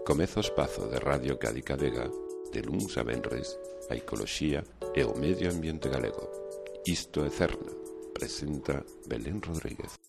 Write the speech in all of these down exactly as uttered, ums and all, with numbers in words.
Comeza o espazo de Radio Cádiz Vega, de luns a venres, a ecoloxía e o medio ambiente galego. Isto é Cerna, presenta Belén Rodríguez.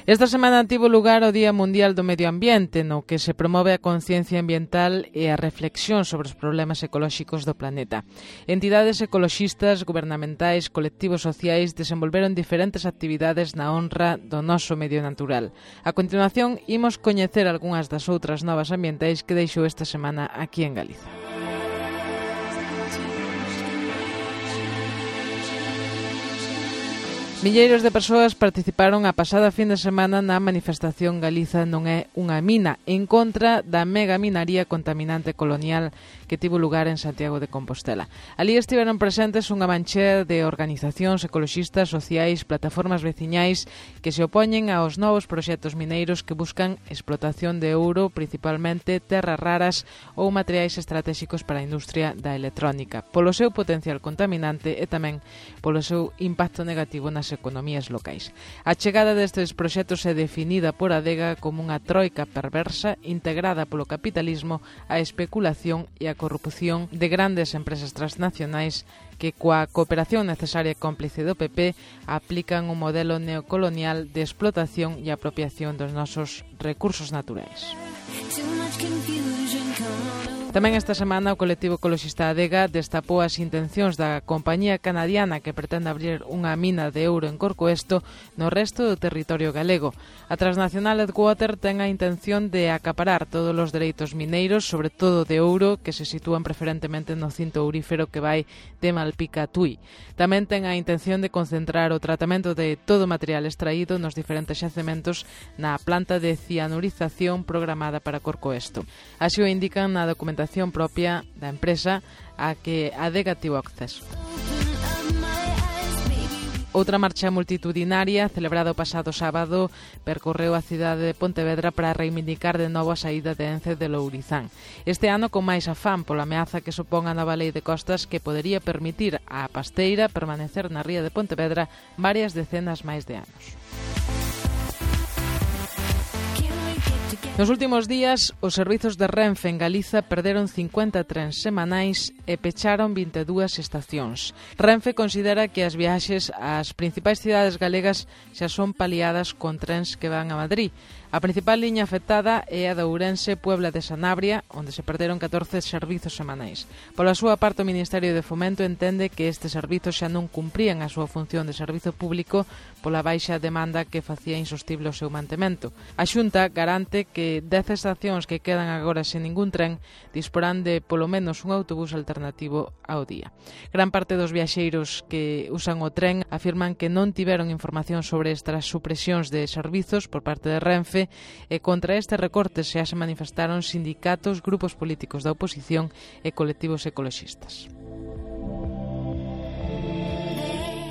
Esta semana tivo lugar o Día Mundial do Medio Ambiente, no que se promove a conciencia ambiental e a reflexión sobre os problemas ecolóxicos do planeta. Entidades ecoloxistas, gubernamentais, colectivos sociais desenvolveron diferentes actividades na honra do noso medio natural. A continuación, imos coñecer algunhas das outras novas ambientais que deixou esta semana aquí en Galiza. Milleiros de persoas participaron a pasada fin de semana na manifestación Galiza non é unha mina en contra da megaminaría contaminante colonial que tivo lugar en Santiago de Compostela. Alí estiveron presentes unha manchea de organizacións ecoloxistas, sociais, plataformas veciñais que se opoñen aos novos proxectos mineiros que buscan explotación de ouro, principalmente terras raras ou materiais estratégicos para a industria da electrónica, polo seu potencial contaminante e tamén polo seu impacto negativo nas economías locais. A chegada destes proxectos é definida por Adega como unha troika perversa integrada polo capitalismo, a especulación e a corrupción de grandes empresas transnacionais que coa cooperación necesaria e cómplice do P P aplican un modelo neocolonial de explotación e apropiación dos nosos recursos naturais. Tamén esta semana o colectivo ecoloxista Adega destapou as intencións da compañía canadiana que pretende abrir unha mina de ouro en Corcoesto no resto do territorio galego. A transnacional Edgewater ten a intención de acaparar todos os dereitos mineiros, sobre todo de ouro, que se sitúan preferentemente no cinto aurífero que vai de Malpica a Tui. Tamén ten a intención de concentrar o tratamento de todo o material extraído nos diferentes xacementos na planta de cianurización programada para Corcoesto. Así o indican na documentación propia da empresa a que Adega tivo acceso. Outra marcha multitudinaria, celebrada o pasado sábado, percorreu a cidade de Pontevedra para reivindicar de novo a saída de Ence de Lourizán. Este ano con máis afán pola ameaza que supón a nova lei de costas que podería permitir á pasteira permanecer na ría de Pontevedra varias decenas máis de anos. Nos últimos días, os servizos de Renfe en Galiza perderon cincuenta trens semanais e pecharon vinte e dúas estacións. Renfe considera que as viaxes ás principais cidades galegas xa son paliadas con trens que van a Madrid. A principal liña afectada é a de Ourense Puebla de Sanabria, onde se perderon catorce servizos semanais. Pola súa parte, o Ministerio de Fomento entende que estes servizos xa non cumprían a súa función de servizo público pola baixa demanda que facía insostible o seu mantemento. A Xunta garante que dez estacións que quedan agora sen ningún tren disporán de polo menos un autobús alternativo ao día. Gran parte dos viaxeiros que usan o tren afirman que non tiveron información sobre estas supresións de servizos por parte de Renfe e contra este recorte xa se manifestaron sindicatos, grupos políticos da oposición e colectivos ecoloxistas.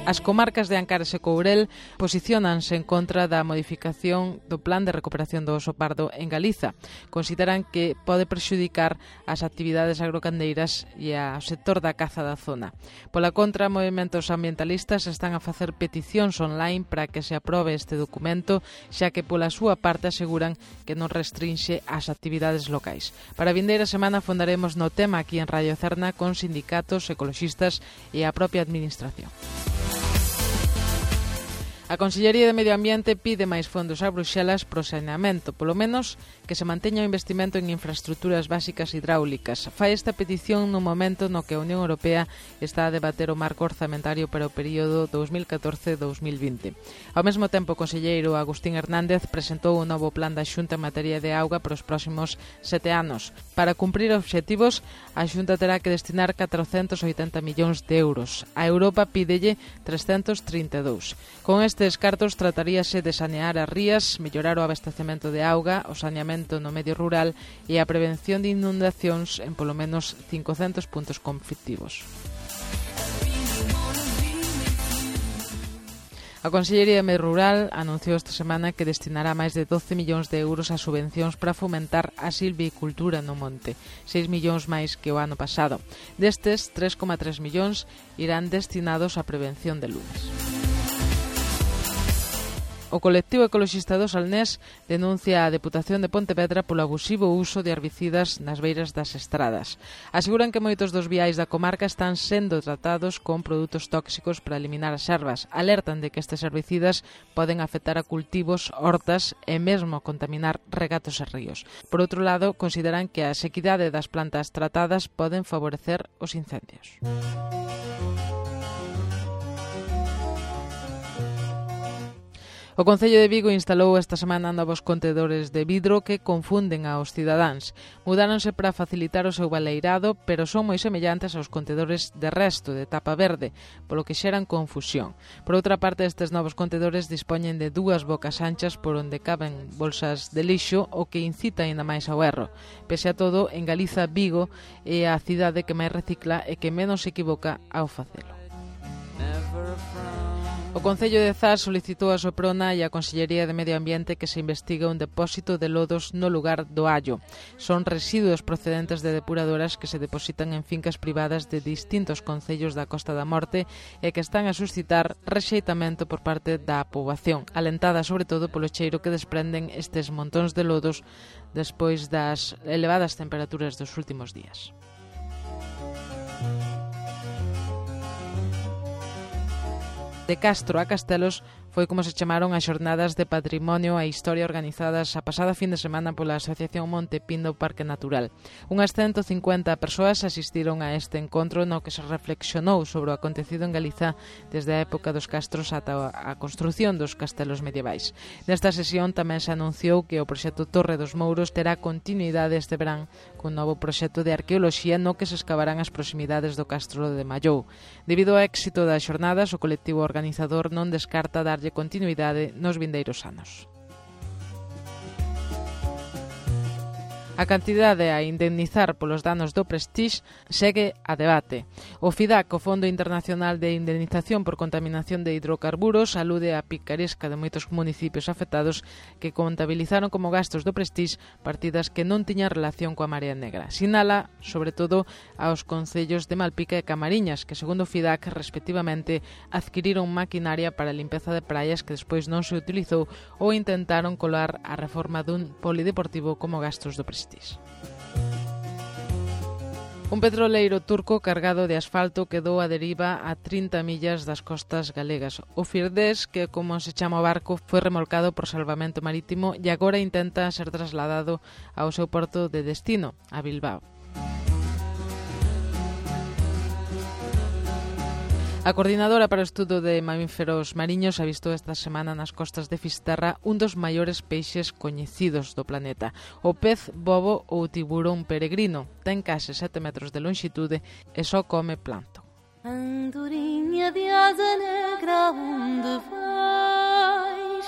As comarcas de Ancares e Courel posiciónanse en contra da modificación do Plan de Recuperación do Oso Pardo en Galiza. Consideran que pode prexudicar as actividades agrocandeiras e ao sector da caza da zona. Pola contra, movementos ambientalistas están a facer peticións online para que se aprobe este documento, xa que pola súa parte aseguran que non restrinxe as actividades locais. Para a vindeira semana fondaremos no tema aquí en Radio Cerna con sindicatos, ecoloxistas e a propia administración. A Consellería de Medio Ambiente pide máis fondos a Bruxelas pro saneamento, polo menos que se manteña o investimento en infraestructuras básicas hidráulicas. Fai esta petición no momento no que a Unión Europea está a debater o marco orzamentario para o período dos mil catorce a dos mil vinte. Ao mesmo tempo, o conselleiro Agustín Hernández presentou un novo plan da Xunta en materia de auga para os próximos sete anos. Para cumprir obxectivos, a Xunta terá que destinar catrocentos oitenta millóns de euros. A Europa pídelle trescentos trinta e dous. Con este Estes cartos trataríase de sanear as rías, mellorar o abastecemento de auga, o saneamento no medio rural e a prevención de inundacións en polo menos cincocentos puntos conflictivos. A Consellería de Medio Rural anunciou esta semana que destinará máis de doce millóns de euros a subvencións para fomentar a silvicultura no monte, seis millóns máis que o ano pasado. Destes, tres coma tres millóns irán destinados á prevención de lumes. O colectivo ecoloxista do Salnés denuncia a Deputación de Pontevedra polo abusivo uso de herbicidas nas beiras das estradas. Aseguran que moitos dos viais da comarca están sendo tratados con produtos tóxicos para eliminar as ervas. Alertan de que estes herbicidas poden afectar a cultivos, hortas e mesmo contaminar regatos e ríos. Por outro lado, consideran que a sequidade das plantas tratadas poden favorecer os incendios. O Concello de Vigo instalou esta semana novos contedores de vidro que confunden aos cidadáns. Mudáronse para facilitar o seu baleirado, pero son moi semellantes aos contedores de resto de tapa verde, polo que xeran confusión. Por outra parte, estes novos contedores dispoñen de dúas bocas anchas por onde caben bolsas de lixo, o que incita aínda máis ao erro. Pese a todo, en Galiza, Vigo é a cidade que máis recicla e que menos se equivoca ao facelo. O Concello de Zas solicitou a Soprona e a Consellería de Medio Ambiente que se investigue un depósito de lodos no lugar do Allo. Son residuos procedentes de depuradoras que se depositan en fincas privadas de distintos concellos da Costa da Morte e que están a suscitar rexeitamento por parte da poboación, alentada sobre todo polo cheiro que desprenden estes montóns de lodos despois das elevadas temperaturas dos últimos días. De Castro a Castelos foi como se chamaron as xornadas de patrimonio e historia organizadas a pasada fin de semana pola Asociación Monte Pindo Parque Natural. Unhas ciento cincuenta persoas asistiron a este encontro no que se reflexionou sobre o acontecido en Galiza desde a época dos castros ata a construción dos castelos medievais. Nesta sesión tamén se anunciou que o proxecto Torre dos Mouros terá continuidade este verán cun novo proxecto de arqueoloxía no que se escavarán as proximidades do castro de Mallou. Debido ao éxito das xornadas, o colectivo organizador non descarta darlle continuidade nos vindeiros anos. A cantidade a indemnizar polos danos do Prestige segue a debate. O FIDAC, o Fondo Internacional de Indemnización por Contaminación de Hidrocarburos, alude á picaresca de moitos municipios afectados que contabilizaron como gastos do Prestige partidas que non tiñan relación coa Marea Negra. Sinala, sobre todo, aos concellos de Malpica e Camariñas, que, segundo o FIDAC, respectivamente, adquiriron maquinaria para a limpeza de praias que despois non se utilizou ou intentaron colar a reforma dun polideportivo como gastos do Prestige. Un petroleiro turco cargado de asfalto quedou a deriva a trinta millas das costas galegas. O Firdés, que como se chama o barco, foi remolcado por salvamento marítimo e agora intenta ser trasladado ao seu porto de destino, a Bilbao. A Coordinadora para o Estudo de Mamíferos Mariños avistou esta semana nas costas de Fisterra un dos maiores peixes coñecidos do planeta. O pez bobo ou tiburón peregrino ten case sete metros de lonxitude e só come plancton. Andorinha de asa negra, onde vais?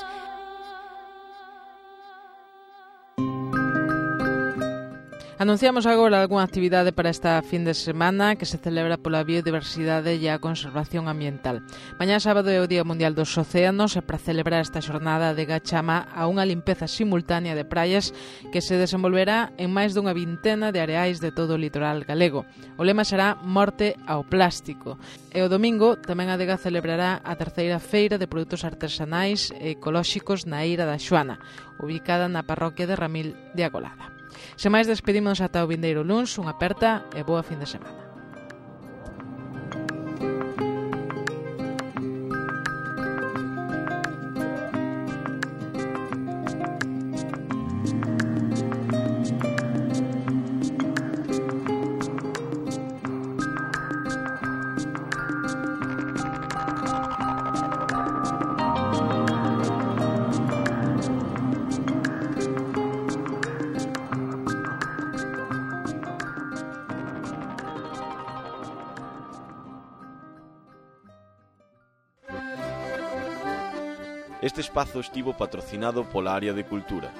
Anunciamos agora algunha actividade para esta fin de semana que se celebra pola biodiversidade e a conservación ambiental. Mañá sábado é o Día Mundial dos Océanos e para celebrar esta xornada de chama a unha limpeza simultánea de praias que se desenvolverá en máis dunha vintena de areais de todo o litoral galego. O lema será Morte ao Plástico. E o domingo tamén a Adega celebrará a terceira feira de produtos artesanais e ecolóxicos na Eira da Xoana, ubicada na parroquia de Ramil de Agolada. Sen máis, despedimos ata o vindeiro luns, unha aperta e boa fin de semana. Este espazo estivo patrocinado pola Área de Cultura,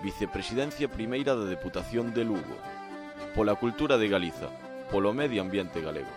Vicepresidencia Primeira da Deputación de Lugo, pola Cultura de Galiza, polo Medio Ambiente Galego.